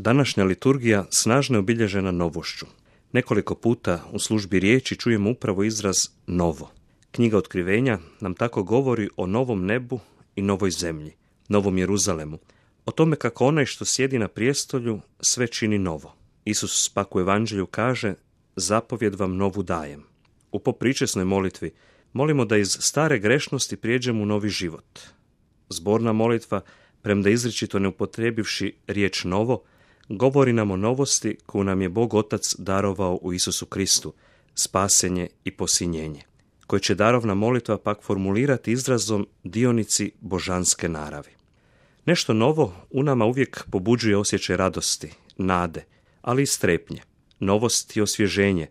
Današnja liturgija snažno je obilježena novošću. Nekoliko puta u službi riječi čujemo upravo izraz novo. Knjiga Otkrivenja nam tako govori o novom nebu i novoj zemlji, novom Jeruzalemu, o tome kako onaj što sjedi na prijestolju sve čini novo. Isus pak u Evanđelju kaže: zapovjed vam novu dajem. U popričesnoj molitvi molimo da iz stare grešnosti prijeđemo u novi život. Zborna molitva, premda izričito ne upotrijebivši riječ novo, govori nam o novosti koju nam je Bog Otac darovao u Isusu Kristu, spasenje i posinjenje, koje će darovna molitva pak formulirati izrazom dionici božanske naravi. Nešto novo u nama uvijek pobuđuje osjećaj radosti, nade, ali i strepnje, novost i osvježenje,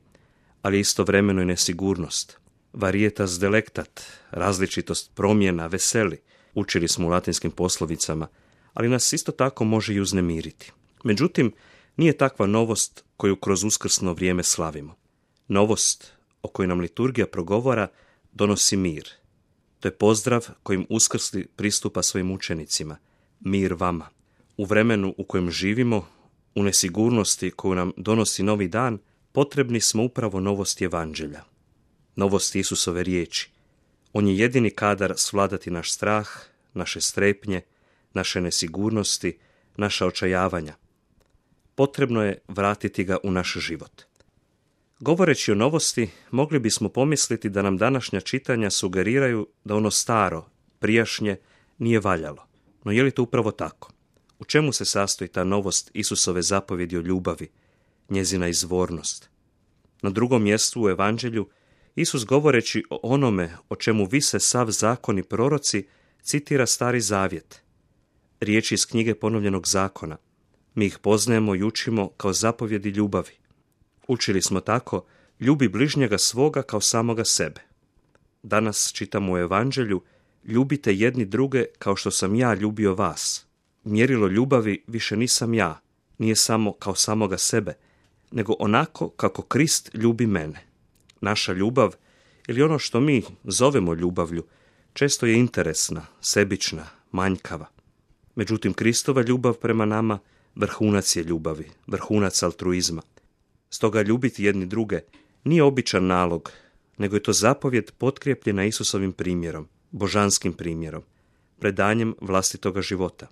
ali istovremeno i nesigurnost. Varietas delectat, različitost promjena, veseli, učili smo u latinskim poslovicama, ali nas isto tako može i uznemiriti. Međutim, nije takva novost koju kroz uskrsno vrijeme slavimo. Novost o kojoj nam liturgija progovara donosi mir. To je pozdrav kojim uskrsli pristupa svojim učenicima. Mir vama. U vremenu u kojem živimo, u nesigurnosti koju nam donosi novi dan, potrebni smo upravo novosti Evanđelja. Novosti Isusove riječi. On je jedini kadar svladati naš strah, naše strepnje, naše nesigurnosti, naša očajavanja. Potrebno je vratiti ga u naš život. Govoreći o novosti, mogli bismo pomisliti da nam današnja čitanja sugeriraju da ono staro, prijašnje, nije valjalo. No je li to upravo tako? U čemu se sastoji ta novost Isusove zapovjedi o ljubavi, njezina izvornost? Na drugom mjestu u Evanđelju Isus, govoreći o onome o čemu vise sav zakon i proroci, citira Stari Zavjet, riječi iz knjige Ponovljenog zakona. Mi ih poznajemo i učimo kao zapovjedi ljubavi. Učili smo tako: ljubi bližnjega svoga kao samoga sebe. Danas čitamo u Evanđelju: ljubite jedni druge kao što sam ja ljubio vas. Mjerilo ljubavi više nisam ja, nije samo kao samoga sebe, nego onako kako Krist ljubi mene. Naša ljubav, ili ono što mi zovemo ljubavlju, često je interesna, sebična, manjkava. Međutim, Kristova ljubav prema nama vrhunac je ljubavi, vrhunac altruizma. Stoga ljubiti jedni druge nije običan nalog, nego je to zapovjed potkrijepljena Isusovim primjerom, božanskim primjerom, predanjem vlastitoga života.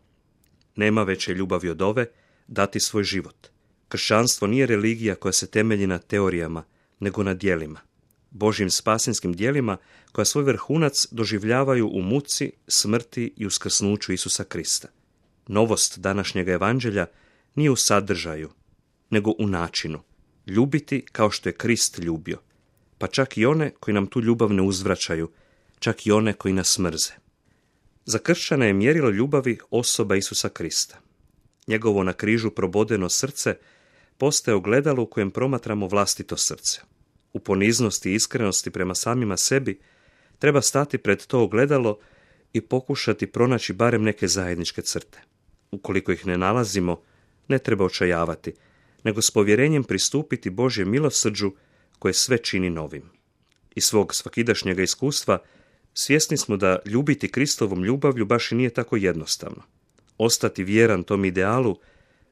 Nema veće ljubavi od ove, dati svoj život. Kršćanstvo nije religija koja se temelji na teorijama, nego na djelima. Božjim spasinskim djelima koja svoj vrhunac doživljavaju u muci, smrti i uskrsnuću Isusa Krista. Novost današnjega Evanđelja nije u sadržaju, nego u načinu. Ljubiti kao što je Krist ljubio, pa čak i one koji nam tu ljubav ne uzvraćaju, čak i one koji nas mrze. Za kršćana je mjerilo ljubavi osoba Isusa Krista. Njegovo na križu probodeno srce postaje ogledalo u kojem promatramo vlastito srce. U poniznosti i iskrenosti prema samima sebi treba stati pred to ogledalo i pokušati pronaći barem neke zajedničke crte. Ukoliko ih ne nalazimo, ne treba očajavati, nego s povjerenjem pristupiti Božjem milosrđu koje sve čini novim. Iz svog svakidašnjega iskustva svjesni smo da ljubiti Kristovom ljubavlju baš i nije tako jednostavno. Ostati vjeran tom idealu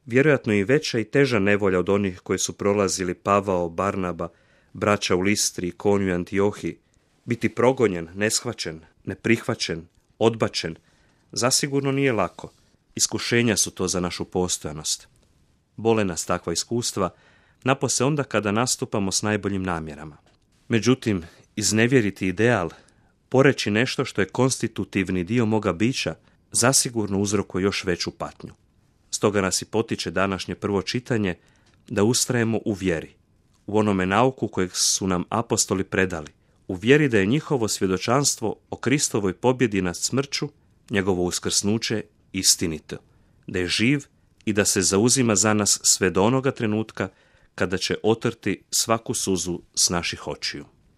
vjerojatno je i veća i teža nevolja od onih koje su prolazili Pavao, Barnaba, braća u Listri, Ikoniju i Antiohiji. Biti progonjen, neshvaćen, neprihvaćen, odbačen, zasigurno nije lako. Iskušenja su to za našu postojanost. Bole nas takva iskustva, napose onda kada nastupamo s najboljim namjerama. Međutim, iznevjeriti ideal, poreći nešto što je konstitutivni dio moga bića, zasigurno uzrokuje još veću patnju. Stoga nas i potiče današnje prvo čitanje da ustrajemo u vjeri, u onome nauku kojeg su nam apostoli predali, u vjeri da je njihovo svjedočanstvo o Kristovoj pobjedi nad smrću, njegovo uskrsnuće, istinito, da je živ i da se zauzima za nas sve do onoga trenutka kada će otrti svaku suzu s naših očiju.